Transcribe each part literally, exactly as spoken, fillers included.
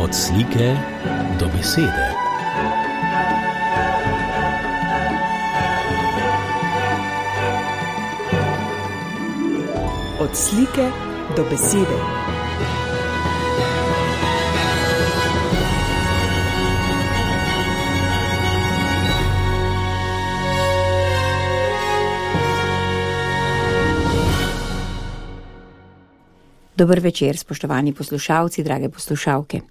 Od slike do besede. Od slike do besede. Dober večer, spoštovani poslušalci, drage poslušalke.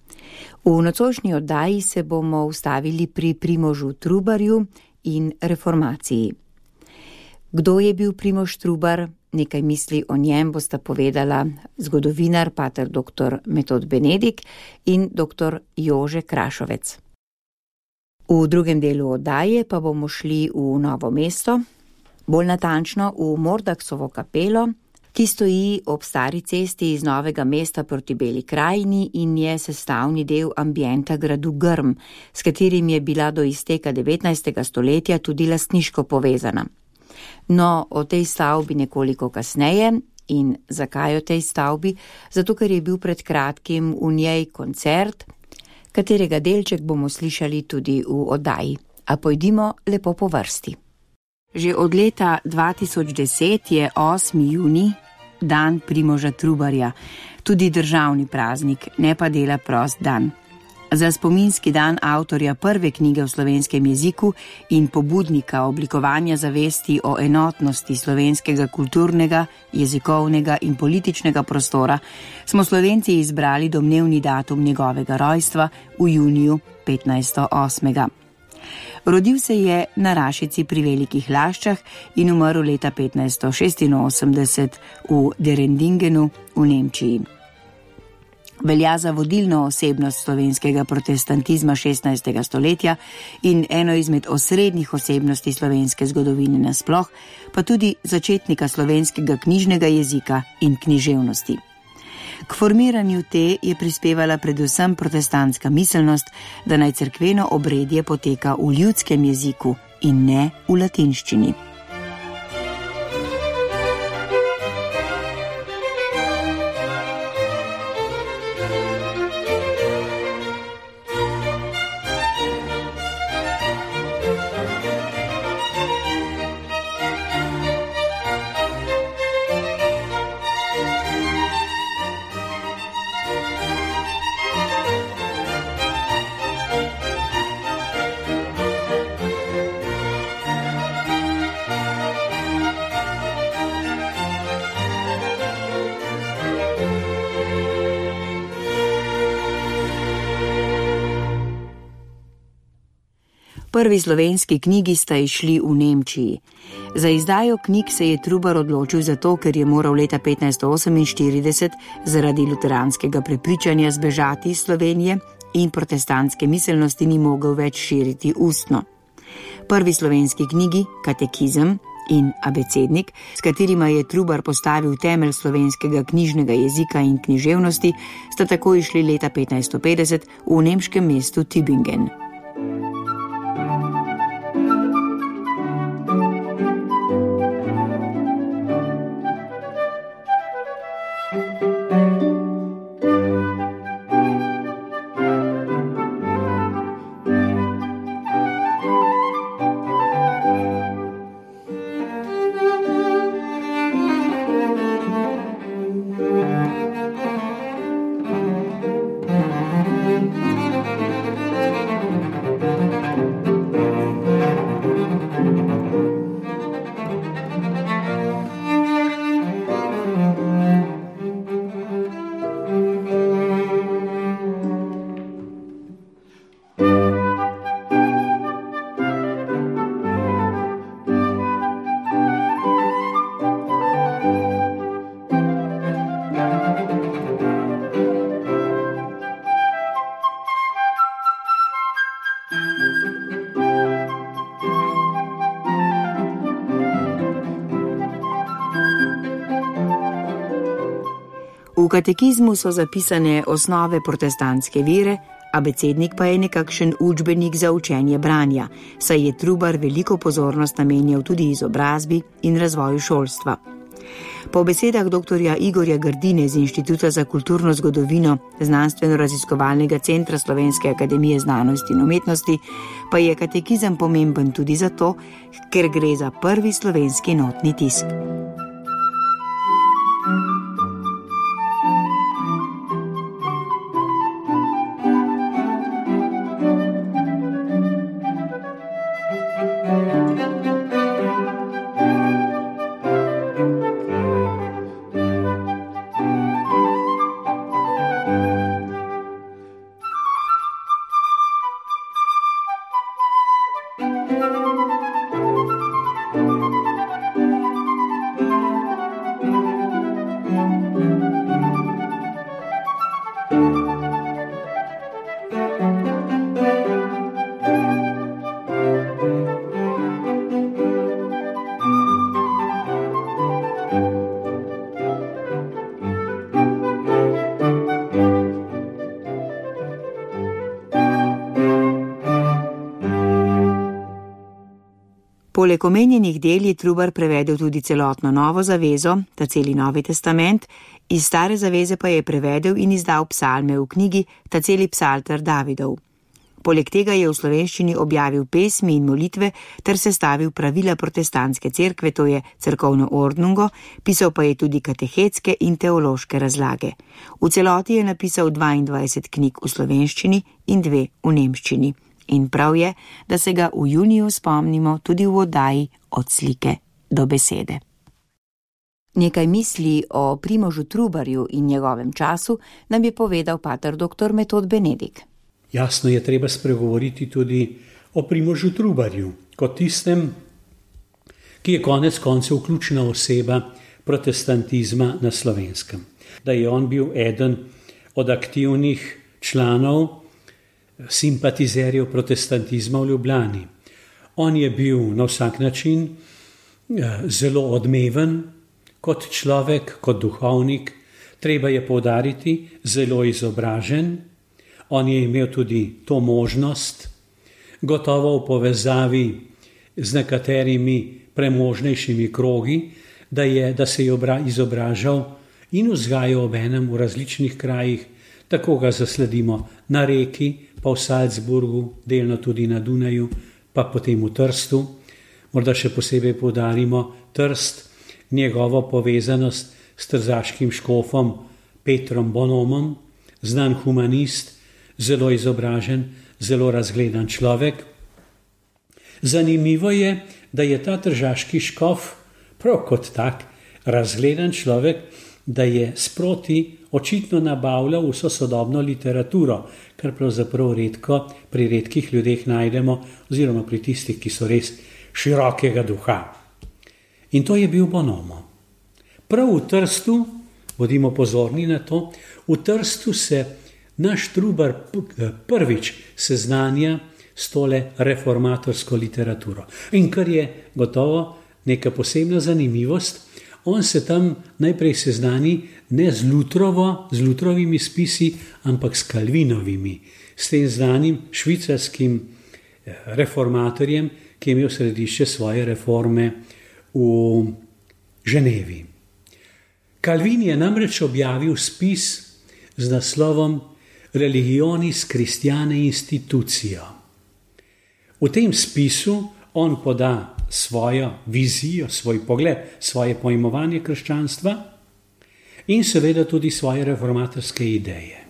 V nocojšnji oddaji se bomo ustavili pri Primožu Trubarju in reformaciji. Kdo je bil Primož Trubar? Nekaj misli o njem bosta povedala zgodovinar pater doktor Metod Benedik in doktor Jože Krašovec. V drugem delu oddaje pa bomo šli v Novo mesto, bolj natančno v Mordaksovo kapelo, ki stoji ob stari cesti iz Novega mesta proti Beli krajini in je sestavni del ambienta gradu Grm, s katerim je bila do izteka devetnajstega stoletja tudi lastniško povezana. No, o tej stavbi nekoliko kasneje. In zakaj o tej stavbi? Zato, ker je bil pred kratkim v njej koncert, katerega delček bomo slišali tudi v oddaji. A pojdimo lepo po vrsti. Že od leta dva tisoč deset je osmi junij dan Primoža Trubarja, tudi državni praznik, ne pa dela prost dan. Za spominski dan avtorja prve knjige v slovenskem jeziku in pobudnika oblikovanja zavesti o enotnosti slovenskega kulturnega, jezikovnega in političnega prostora smo Slovenci izbrali domnevni datum njegovega rojstva v juniju petnajststo osmega. Rodil se je na Rašici pri Velikih Laščah in umrl leta petnajststo šestinosemdeset v Derendingenu v Nemčiji. Velja za vodilno osebnost slovenskega protestantizma šestnajstega stoletja in eno izmed osrednjih osebnosti slovenske zgodovine nasploh, pa tudi začetnika slovenskega knjižnega jezika in književnosti. K formiranju te je prispevala predvsem protestantska miselnost, da naj cerkveno obredje poteka v ljudskem jeziku in ne v latinščini. Prvi slovenski knjigi sta izšli v Nemčiji. Za izdajo knjig se je Trubar odločil zato, ker je moral leta petnajststo oseminštirideset zaradi luteranskega prepričanja zbežati iz Slovenije in protestantske miselnosti ni mogel več širiti ustno. Prvi slovenski knjigi, Katekizem in Abecednik, s katerima je Trubar postavil temelj slovenskega knjižnega jezika in književnosti, sta tako išli leta petnajststo petdeset v nemškem mestu Tübingen. V katekizmu so zapisane osnove protestantske vere, abecednik pa je nekakšen učbenik za učenje branja, saj je Trubar veliko pozornost namenjal tudi izobrazbi in razvoju šolstva. Po besedah doktorja Igorja Grdine z Inštituta za kulturno zgodovino Znanstveno-raziskovalnega centra Slovenske akademije znanosti in umetnosti pa je katekizem pomemben tudi zato, ker gre za prvi slovenski notni tisk. Poleg omenjenih del je Trubar prevedel tudi celotno Novo zavezo, ta celi Novi testament, iz Stare zaveze pa je prevedel in izdal psalme v knjigi ta celi psalter Davidov. Poleg tega je v slovenščini objavil pesmi in molitve ter sestavil pravila protestantske cerkve, to je cerkovno ordnungo, pisal pa je tudi katehetske in teološke razlage. V celoti je napisal dvaindvajset knjig v slovenščini in dve v nemščini. In prav je, da se ga v juniju spomnimo tudi v oddaji Od slike do besede. Nekaj misli o Primožu Trubarju in njegovem času nam je povedal pater doktor Metod Benedik. Jasno je treba spregovoriti tudi o Primožu Trubarju, kot tistem, ki je konec koncev ključna oseba protestantizma na Slovenskem. Da je on bil eden od aktivnih članov simpatizerjev protestantizma v Ljubljani. On je bil na vsak način zelo odmeven kot človek, kot duhovnik, treba je poudariti, zelo izobražen. On je imel tudi to možnost, gotovo v povezavi z nekaterimi premožnejšimi krogi, da, je, da se je izobražal in vzgajal obenem v različnih krajih. Tako ga zasledimo na Reki, pa v Salzburgu, delno tudi na Dunaju, pa potem v Trstu. Morda še posebej poudarimo Trst, njegovo povezanost s trzaškim škofom Petrom Bonomom, znan humanist, zelo izobražen, zelo razgledan človek. Zanimivo je, da je ta tržaški škof prav kot tak razgledan človek, da je sproti očitno nabavljal vso sodobno literaturo, kar pravzaprav redko pri redkih ljudeh najdemo, oziroma pri tistih, ki so res širokega duha. In to je bil Bonomo. Prav v Trstu, bodimo pozorni na to, v Trstu se naš Trubar prvič seznanja s tole reformatorsko literaturo. In kar je gotovo neka posebna zanimivost, on se tam najprej seznani ne z Lutrovo, z Lutrovimi spisi, ampak s Calvinovimi, s tem znanim švicarskim reformatorjem, ki je imel središče svoje reforme v Ženevi. Calvin je namreč objavil spis z naslovom Religionis Christiane Institutio. V tem spisu on poda svojo vizijo, svoj pogled, svoje pojmovanje krščanstva in seveda tudi svoje reformatorske ideje.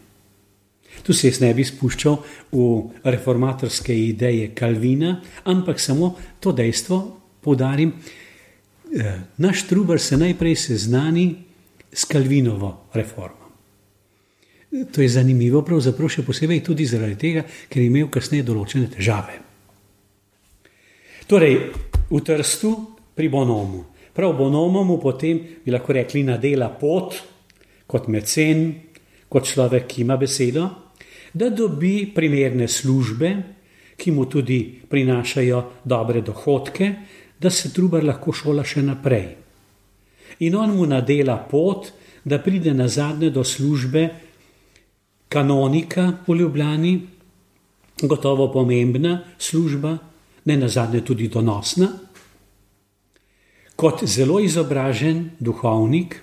Tu se jaz ne bi spuščal v reformatorske ideje Calvina, ampak samo to dejstvo poudarim. Naš Trubar se najprej seznani s Calvinovo reformo. To je zanimivo, pravzaprav še posebej tudi zaradi tega, ker je imel kasneje določene težave. Torej, v Trstu pri Bonomu. Prav Bonomo mu potem, bi lahko rekli, nadela pot, kot mecen, kot človek, ki ima besedo, da dobi primerne službe, ki mu tudi prinašajo dobre dohodke, da se Trubar lahko šola še naprej. In on mu nadela pot, da pride nazadnje do službe kanonika v Ljubljani, gotovo pomembna služba, ne nazadnje tudi donosna. kot zelo izobražen duhovnik,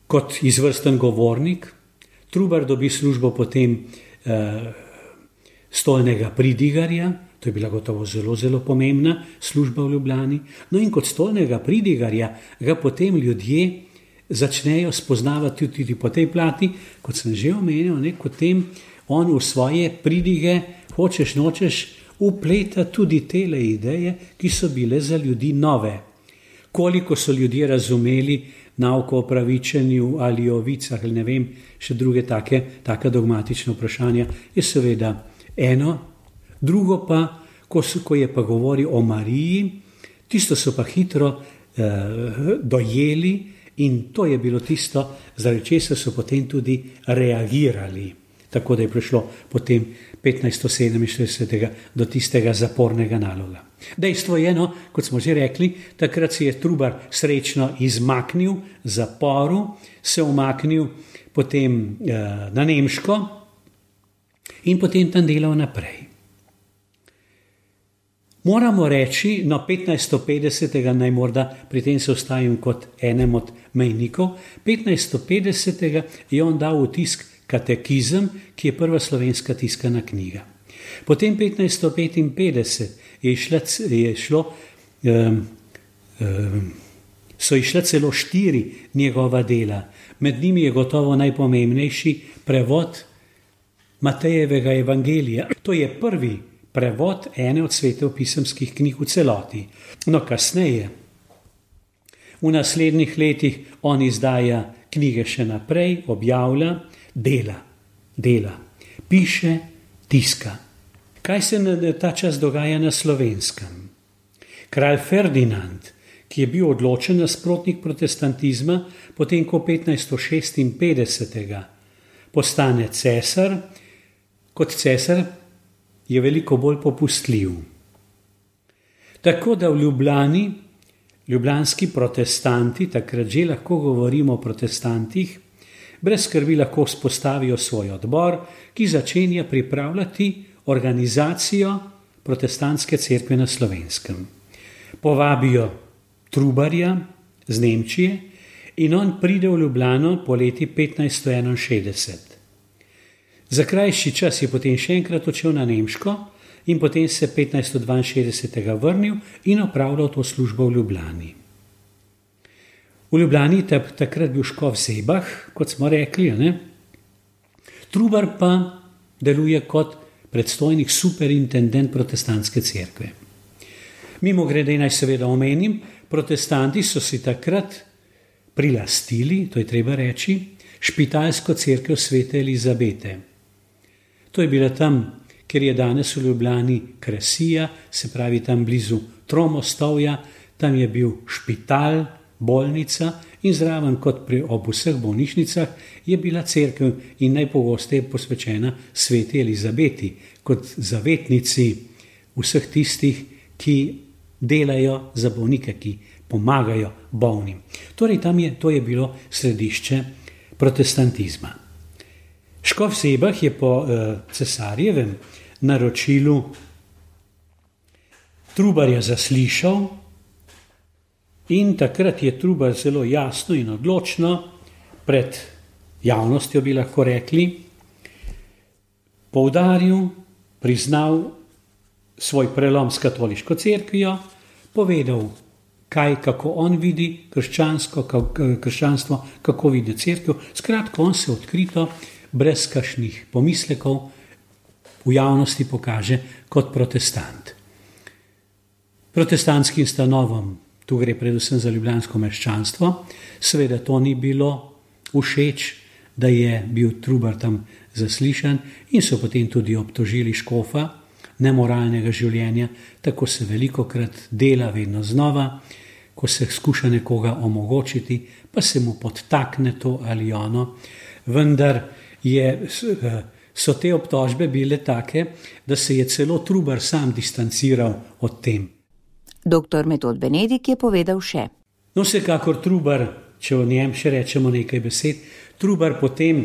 kot izvrsten govornik. Trubar dobi službo potem eh, stolnega pridigarja, to je bila gotovo zelo, zelo pomembna služba v Ljubljani. No in kot stolnega pridigarja ga potem ljudje začnejo spoznavati tudi po tej plati, kot sem že omenil, ne, potem on v svoje pridige, hočeš nočeš, upleta tudi tele ideje, ki so bile za ljudi nove. Koliko so ljudje razumeli nauko o pravičenju ali o vicah ali ne vem, še druge take, take dogmatične vprašanja, je seveda eno. Drugo pa, ko, so, ko je pa govoril o Mariji, tisto so pa hitro eh, dojeli in to je bilo tisto, zaradi česar so potem tudi reagirali. Tako da je prišlo potem petnajststo sedeminštirideset do tistega zapornega naloga. Dejstvo je, no, kot smo že rekli, takrat se je Trubar srečno izmaknil zaporu, se umaknil potem eh, na Nemško in potem tam delal naprej. Moramo reči, no petnajststo petdeset, naj morda pri tem se ostavim kot enem od mejnikov, petnajststo petdeset je on dal v tisk Katekizem, ki je prva slovenska tiskana knjiga. Potem petnajststo petinpetdeset je, išla, je šlo, um, um, so išla celo štiri njegova dela. Med njimi je gotovo najpomembnejši prevod Matejevega evangelija. To je prvi prevod ene od svetopisemskih knjig v celoti. No, kasneje, v naslednjih letih on izdaja knjige še naprej, objavlja, dela, dela, piše, tiska. Kaj se na ta čas dogaja na Slovenskem? Kralj Ferdinand, ki je bil odločen nasprotnik protestantizma, potem ko petnajststo šestinpetdeset postane cesar, kot cesar je veliko bolj popustljiv. Tako da v Ljubljani, ljubljanski protestanti, takrat že lahko govorimo o protestantih, brez skrbi lahko vzpostavijo svoj odbor, ki začenja pripravljati organizacijo protestantske cerkve na Slovenskem. Povabijo Trubarja z Nemčije in on pride v Ljubljano po leti petnajststo enainšestdeset. Za krajši čas je potem še enkrat odšel na Nemško in potem se petnajststo dvainšestdeset vrnil in opravljal to službo v Ljubljani. V Ljubljani je takrat bil škof Zebah, kot smo rekli, ne? Trubar pa deluje kot predstojnik superintendent protestantske cerkve. Mimogrede naj seveda omenim, protestanti so si takrat prilastili, to je treba reči, špitalsko cerkev svete Elizabete. To je bila tam, kjer je danes v Ljubljani Kresija, se pravi tam blizu Tromostovja, tam je bil špital, bolnica in zraven kot pri ob vseh bolnišnicah je bila cerkev in najpogosteje posvečena sveti Elizabeti kot zavetnici vseh tistih, ki delajo za bolnike, ki pomagajo bolnim. Torej tam je, to je bilo središče protestantizma. Škof Zebah je po eh, cesarjevem naročilu Trubarja zaslišal in takrat je Trubar zelo jasno in odločno pred javnostjo, bi lahko rekli, poudaril, priznal svoj prelom s katoliško cerkvijo, povedal, kaj, kako on vidi krščansko, krščanstvo, kako vidi cerkev. Skratka, on se odkrito, brez kakšnih pomislekov, v javnosti pokaže kot protestant. Protestantskim stanovom, tu gre predvsem za ljubljansko meščanstvo, seveda to ni bilo všeč, da je bil Trubar tam zaslišan in so potem tudi obtožili škofa nemoralnega življenja, tako se velikokrat dela vedno znova, ko se skuša nekoga omogočiti, pa se mu podtakne to ali ono, vendar je, so te obtožbe bile take, da se je celo Trubar sam distanciral od tem. Doktor Metod Benedik je povedal še. No, vsekakor Trubar, če o njem še rečemo nekaj besed, Trubar potem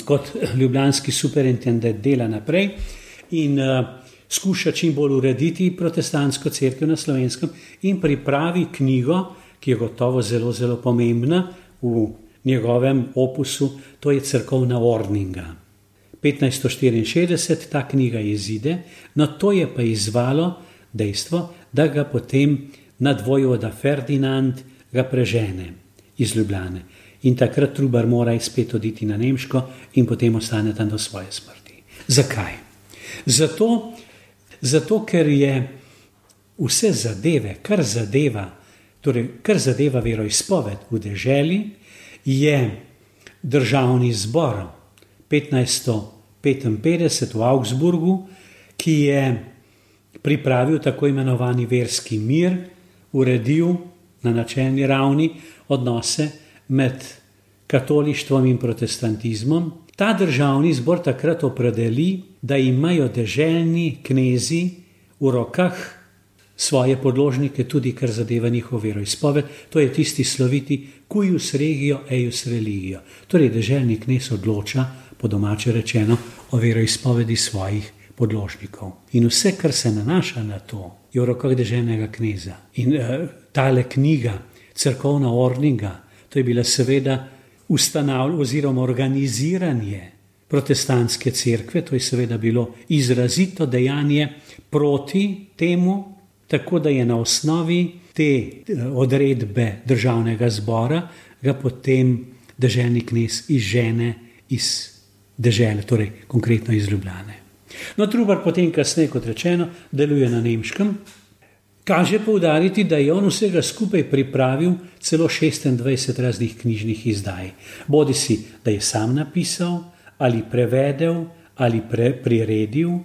kot ljubljanski superintendent dela naprej in uh, skuša čim bolj urediti protestantsko cerkev na Slovenskem in pripravi knjigo, ki je gotovo zelo, zelo pomembna v njegovem opusu, to je Cerkovna ordninga. petnajststo štiriinšestdeset ta knjiga izide, no to je pa izzvalo dejstvo, da ga potem nadvojvoda Ferdinand ga prežene iz Ljubljane. In takrat Trubar mora spet oditi na Nemško in potem ostane tam do svoje smrti. Zakaj? Zato, zato ker je vse zadeve, kar zadeva, torej kar zadeva veroizpoved v deželi, je državni zbor petnajststo petinpetdeset v Augsburgu, ki je pripravil tako imenovani verski mir, uredil na načelni ravni odnose med katolištvom in protestantizmom. Ta državni zbor takrat opredeli, da imajo deželni knezi v rokah svoje podložnike, tudi kar zadeva njihov veroizpoved. To je tisti sloviti cuius regio eius religio. Torej deželni knez odloča, po domače rečeno, o veroizpovedi svojih podložnikov. In vse, kar se nanaša na to, je v rokah deželnega kneza. In uh, tale knjiga, Cerkovna ordninga, to je bila seveda ustanavljanje oziroma organiziranje protestantske cerkve, to je seveda bilo izrazito dejanje proti temu, tako da je na osnovi te odredbe državnega zbora ga potem deželni knez izžene iz dežele, torej konkretno iz Ljubljane. No, Trubar potem kasneje, kot rečeno, deluje na Nemškem. Kaže poudariti, da je on vsega skupaj pripravil celo šestindvajset raznih knjižnih izdaj. Bodi si, da je sam napisal, ali prevedel, ali pre, priredil.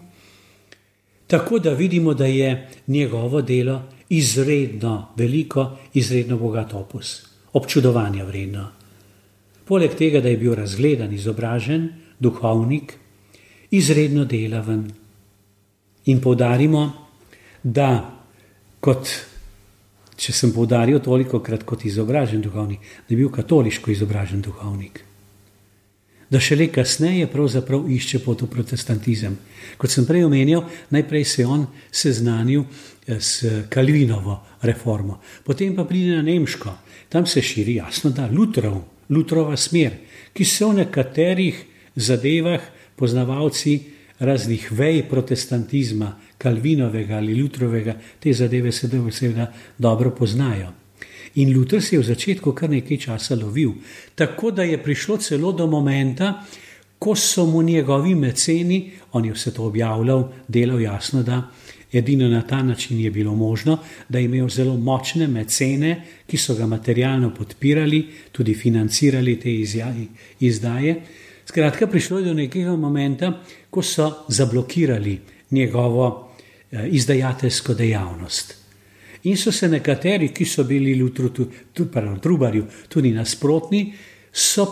Tako da vidimo, da je njegovo delo izredno veliko, izredno bogat opus. Občudovanja vredno. Poleg tega, da je bil razgledan, izobražen, duhovnik, izredno delaven. In poudarimo, da kot, če sem poudaril toliko krat kot izobražen duhovnik, da je bil katoliško izobražen duhovnik. Da šele kasneje pravzaprav išče pot v protestantizem. Kot sem prej omenjal, najprej se je on seznanil s Calvinovo reformo, potem pa pride na Nemško. Tam se širi, jasno da, Lutrov, Lutrova smer, ki se v nekaterih zadevah poznavalci raznih vej protestantizma, Calvinovega ali Lutrovega, te zadeve se seveda dobro poznajo. In Luther se je v začetku kar nekaj časa lovil, tako da je prišlo celo do momenta, ko so mu njegovi meceni, on je vse to objavljal, delal jasno, da edino na ta način je bilo možno, da je imel zelo močne mecene, ki so ga materialno podpirali, tudi financirali te izdaje. Skratka, prišlo je do nekega momenta, ko so zablokirali njegovo izdajateljsko dejavnost. In so se nekateri, ki so bili Lutru, pardon, Trubarju tudi nasprotni, so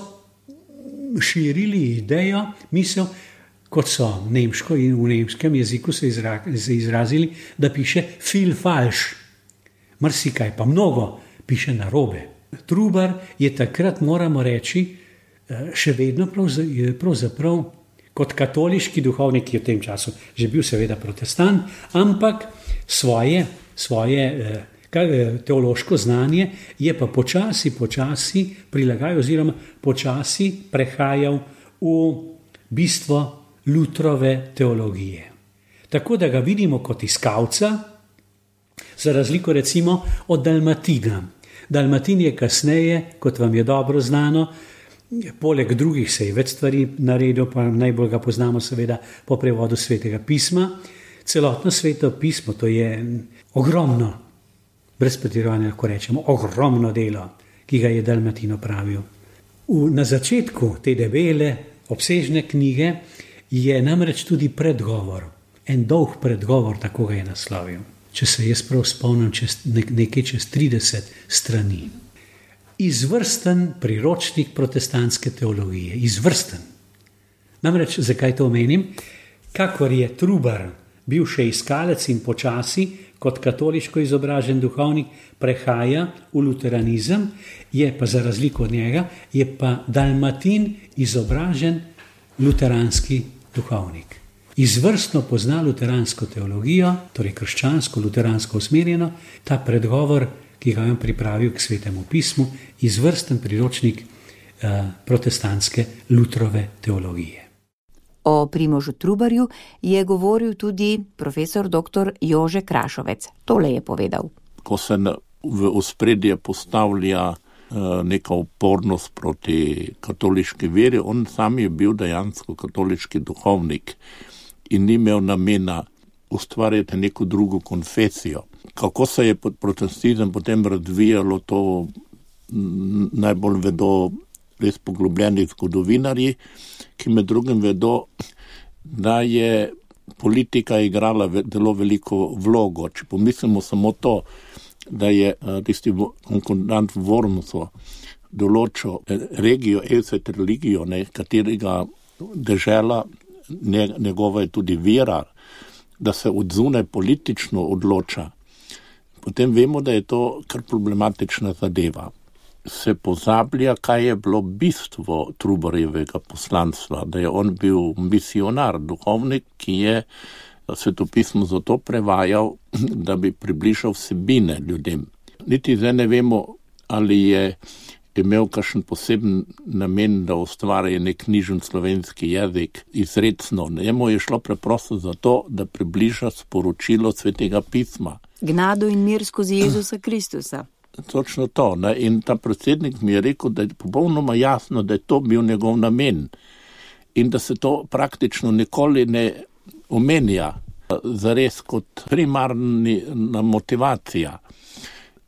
širili idejo, misel, kot so nemško in v nemškem jeziku se izrazili, da piše viel falsch. Marsikaj pa mnogo piše narobe. Trubar je takrat, moramo reči, še vedno pravzaprav kot katoliški duhovnik, ki je v tem času že bil seveda protestant, ampak svoje, svoje teološko znanje je pa počasi, počasi prilagajal oziroma počasi prehajal v bistvo Lutrove teologije. Tako da ga vidimo kot iskalca, za razliko recimo od Dalmatina. Dalmatin je kasneje, kot vam je dobro znano, poleg drugih se je več stvari naredil, pa najbolj ga poznamo seveda po prevodu Svetega pisma. Celotno Sveto pismo, to je ogromno, brez pretiravanja lahko rečemo, ogromno delo, ki ga je Dalmatin opravil. V, na začetku te debele, obsežne knjige je namreč tudi predgovor, en dolg predgovor, tako ga je naslovil. Če se jaz prav spomnim, čez, nekaj čez trideset strani. Izvrsten priročnik protestantske teologije, izvrsten. Namreč, zakaj to omenim? Kakor je Trubar bil še iskalec in počasi, kot katoliško izobražen duhovnik, prehaja v luteranizem, je pa za razliko od njega, je pa Dalmatin izobražen luteranski duhovnik. izvrstno pozna luteransko teologijo, torej krščansko, luteransko usmerjeno, ta predgovor, ki ga je pripravil k Svetemu pismu, izvrsten priročnik eh, protestantske Lutrove teologije. O Primožu Trubarju je govoril tudi profesor doktor Jože Krašovec. Tole je povedal. Ko se v ospredje postavlja neka upornost proti katoliški veri, on sam je bil dejansko katoliški duhovnik in ni imel namena ustvarjati neko drugo konfesijo. Kako se je protestantizem potem razvijalo, to najbolj vedo res poglobljeni zgodovinarji, ki med drugim vedo, da je politika igrala zelo veliko vlogo. Če pomislimo samo to, da je tisti konkordant v Wormsu določil regijo, elset religijo, ne, katerega dežela, ne, njegova je tudi vera, da se odzune politično odloča, potem vemo, da je to kar problematična zadeva. Se pozablja, kaj je bilo bistvo Trubarjevega poslanstva, da je on bil misionar, duhovnik, ki je svetopismo zato prevajal, da bi približal vsebine ljudem. Niti zdaj ne vemo, ali je imel kakšen poseben namen, da ustvarja nek knjižen slovenski jezik izrecno. Njemu je šlo preprosto zato, da približa sporočilo Svetega pisma. Gnado in mir skozi Jezusa Kristusa. Točno to. Ne? In ta predsednik mi je rekel, da je popolnoma jasno, da je to bil njegov namen in da se to praktično nikoli ne omenja zares kot primarna motivacija.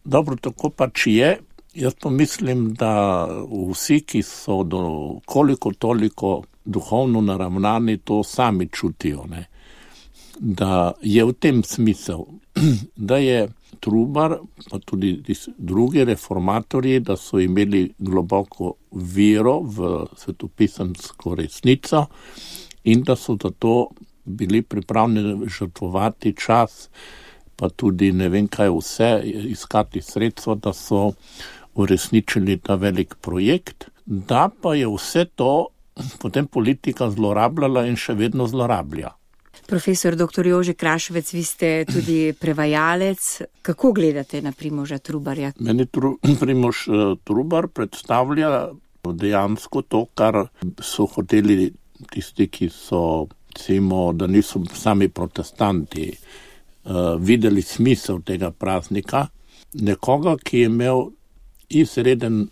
Dobro, tako pač je. Jaz pa mislim, da vsi, ki so do koliko toliko duhovno naravnani, to sami čutijo. Ne? Da je v tem smisel, da je Trubar, pa tudi drugi reformatorji, da so imeli globoko vero v svetopisemsko resnico in da so zato bili pripravljeni žrtvovati čas, pa tudi ne vem kaj vse, iskati sredstva, da so uresničili ta velik projekt, da pa je vse to potem politika zlorabljala in še vedno zlorablja. Profesor doktor Jože Krašovec, vi ste tudi prevajalec. Kako gledate na Primoža Trubarja? Meni tru, Primož Trubar predstavlja dejansko to, kar so hoteli tisti, ki so, recimo, da niso sami protestanti, uh, videli smisel tega praznika. Nekoga, ki je imel izreden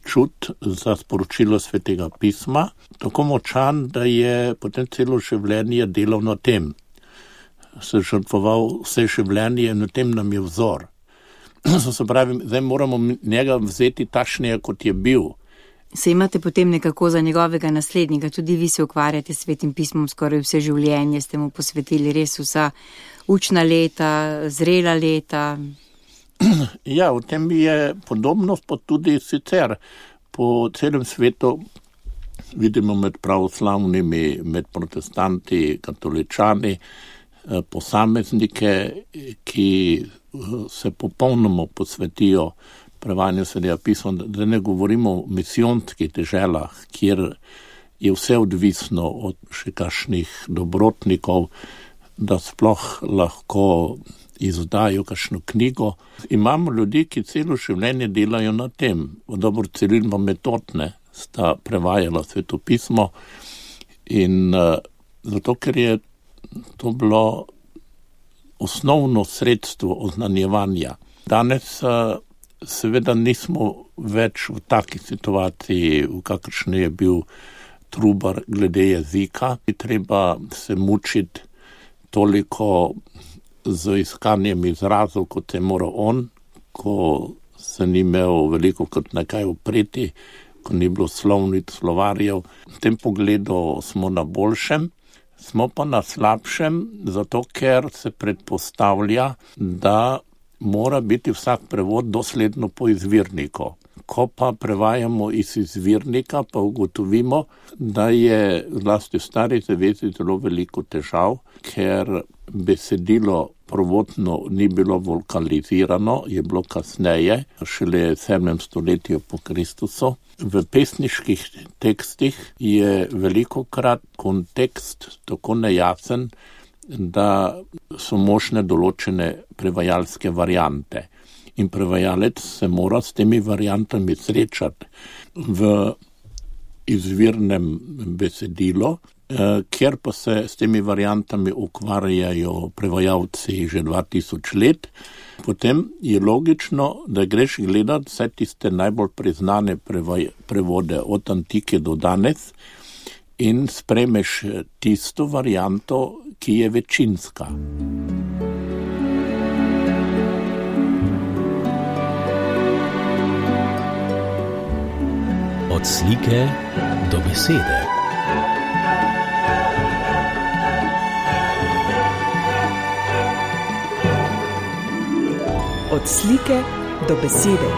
čut za sporočilo Svetega pisma, tako močan, da je potem celo življenje delal na tem. Se žrtvoval vse življenje in na tem nam je vzor. Se pravi, zdaj moramo njega vzeti takšnega, kot je bil. Se imate potem nekako za njegovega naslednika, tudi vi se ukvarjate s Svetim pismom skoraj vse življenje, ste mu posvetili res vsa učna leta, zrela leta. Ja, v tem je podobnost, pa tudi sicer po celem svetu vidimo med pravoslavnimi, med protestanti, katoličani, posameznike, ki se popolnoma posvetijo prevajanju Svetega pisma, da ne govorimo o misijonskih deželah, kjer je vse odvisno od še kakšnih dobrotnikov, da sploh lahko izdajo kakšno knjigo. Imamo ljudi, ki celo življenje delajo na tem. Dobro, Ciril pa Metod sta prevajala Sveto pismo in uh, zato, ker je to bilo osnovno sredstvo oznanjevanja. Danes uh, seveda nismo več v taki situaciji, v kakršni je bil Trubar glede jezika. Treba se mučiti toliko z iskanjem izrazov, kot je moral on, ko se ni imel veliko kot nekaj upreti, ko ni bilo slovnic, slovarjev. V tem pogledu smo na boljšem, smo pa na slabšem, zato ker se predpostavlja, da mora biti vsak prevod dosledno po izvirniku. Ko pa prevajamo iz izvirnika, pa ugotovimo, da je zlasti v Stari zavezi zelo veliko težav, ker besedilo prvotno ni bilo vulkanizirano, je bilo kasneje, šele v sedmem stoletju po Kristusu. V pesniških tekstih je velikokrat kontekst tako nejasen, da so možne določene prevajalske variante. In prevajalec se mora s temi variantami srečati v izvirnem besedilu, kjer pa se s temi variantami ukvarjajo prevajalci že dva tisoč let, potem je logično, da greš gledati vse tiste najbolj priznane prevaj, prevode od antike do danes in spremeš tisto varianto, ki je večinska. Od slike do besede. Od slike do besede.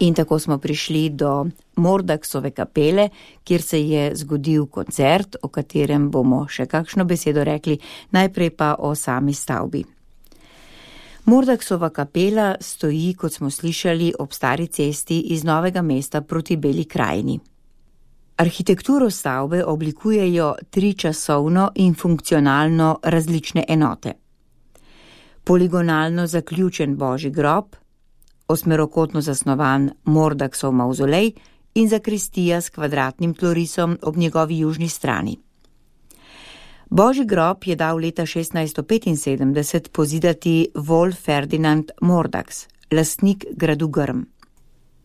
In tako smo prišli do Mordaksove kapele, kjer se je zgodil koncert, o katerem bomo še kakšno besedo rekli, najprej pa o sami stavbi. Mordaksova kapela stoji, kot smo slišali, ob stari cesti iz Novega mesta proti Beli krajini. Arhitekturo stavbe oblikujejo tričasovno in funkcionalno različne enote. Poligonalno zaključen Božji grob, osmerokotno zasnovan Mordaksov mavzolej in zakristija s kvadratnim tlorisom ob njegovi južni strani. Božji grob je dal leta šestnajststo petinsedemdeset pozidati Wolf Ferdinand Mordaks, lastnik gradu Grm.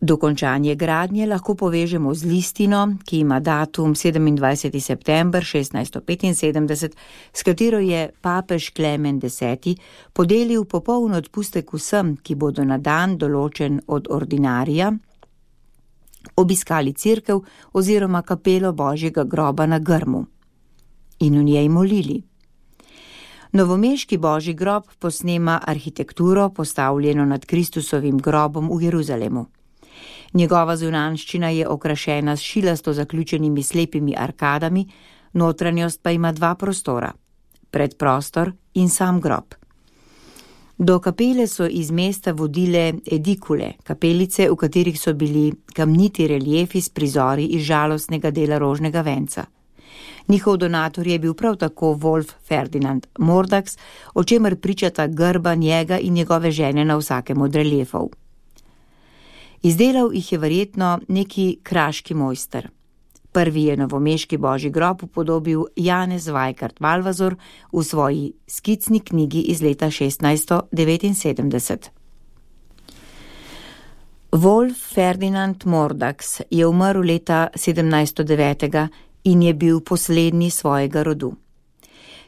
Dokončanje gradnje lahko povežemo z listino, ki ima datum sedemindvajseti september šestnajststo petinsedemdeset, s katero je papež Klemen deseti podelil popoln odpustek vsem, ki bodo na dan določen od ordinarija obiskali cerkev oziroma kapelo Božjega groba na Grmu in v njej molili. Novomeški Božji grob posnema arhitekturo, postavljeno nad Kristusovim grobom v Jeruzalemu. Njegova zunanjščina je okrašena s šilasto zaključenimi slepimi arkadami, notranjost pa ima dva prostora, predprostor in sam grob. Do kapele so iz mesta vodile edikule, kapelice, v katerih so bili kamniti reliefi s prizori iz žalostnega dela rožnega venca. Njihov donator je bil prav tako Wolf Ferdinand Mordaks, o čemer pričata grba njega in njegove žene na vsakem od reliefov. Izdelal jih je verjetno neki kraški mojster. Prvi je novomeški Božji grob upodobil Janez Vajkard Valvazor v svoji skicni knjigi iz leta šestnajststo devetinsedemdeset. Wolf Ferdinand Mordaks je umrl leta sedemnajststo devet in je bil poslednji svojega rodu.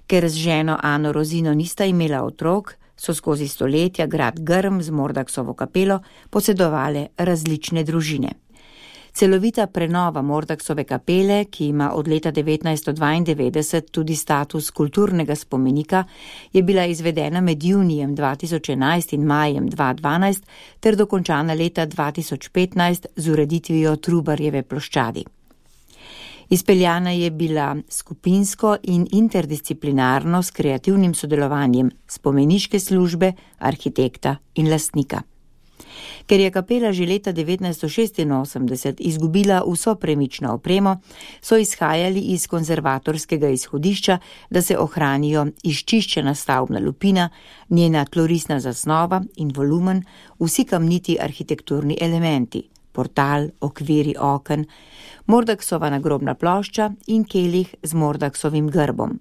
Ker z ženo Ano Rozino nista imela otrok, so skozi stoletja grad Grm z Mordaksovo kapelo posedovale različne družine. Celovita prenova Mordaksove kapele, ki ima od leta devetnajststo dvaindevetdeset tudi status kulturnega spomenika, je bila izvedena med junijem dva tisoč enajst in majem dva tisoč dvanajst ter dokončana leta dva tisoč petnajst z ureditvijo Trubarjeve ploščadi. Izpeljana je bila skupinsko in interdisciplinarno s kreativnim sodelovanjem spomeniške službe, arhitekta in lastnika. Ker je kapela že leta devetnajststo šestinosemdeset izgubila vso premično opremo, so izhajali iz konzervatorskega izhodišča, da se ohranijo izčiščena stavbna lupina, njena tlorisna zasnova in volumen, vsi kamniti arhitekturni elementi, portal, okviri oken, Mordaksova nagrobna plošča in kelih z Mordaksovim grbom.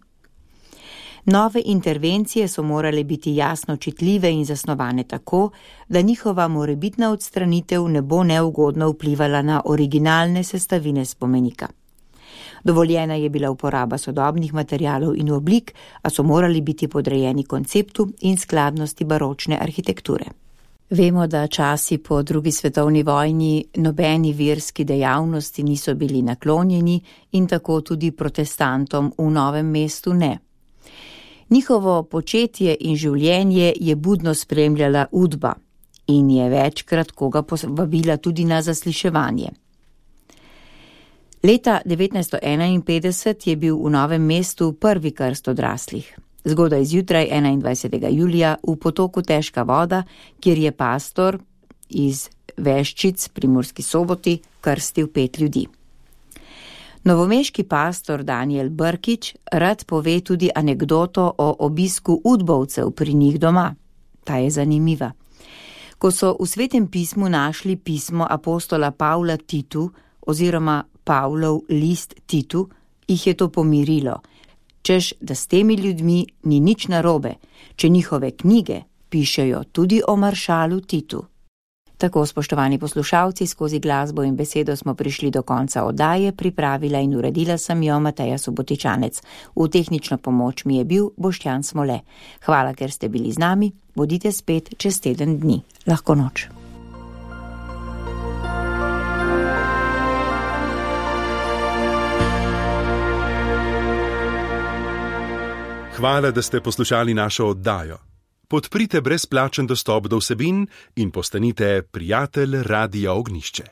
Nove intervencije so morale biti jasno čitljive in zasnovane tako, da njihova morebitna odstranitev ne bo neugodno vplivala na originalne sestavine spomenika. Dovoljena je bila uporaba sodobnih materialov in oblik, a so morali biti podrejeni konceptu in skladnosti baročne arhitekture. Vemo, da časi po drugi svetovni vojni nobeni verski dejavnosti niso bili naklonjeni in tako tudi protestantom v Novem mestu ne. Njihovo početje in življenje je budno spremljala Udba in je večkrat koga povabila tudi na zasliševanje. Leta devetnajststo enainpetdeset je bil v Novem mestu prvi krst odraslih. Zgodaj zjutraj enaindvajsetega julija v potoku Težka voda, kjer je pastor iz Veščic pri Murski Soboti krstil pet ljudi. Novomeški pastor Daniel Brkič rad pove tudi anekdoto o obisku udbovcev pri njih doma. Ta je zanimiva. Ko so v Svetem pismu našli pismo apostola Pavla Titu oziroma Pavlov list Titu, jih je to pomirilo, češ, da s temi ljudmi ni nič narobe, če njihove knjige pišejo tudi o maršalu Titu. Tako, spoštovani poslušalci, skozi glasbo in besedo smo prišli do konca oddaje, pripravila in uredila sem jo Mateja Subotičanec. V tehnično pomoč mi je bil Boštjan Smole. Hvala, ker ste bili z nami, bodite spet čez teden dni. Lahko noč. Hvala, da ste poslušali našo oddajo. Podprite brezplačen dostop do vsebin in postanite prijatelj Radia Ognjišče.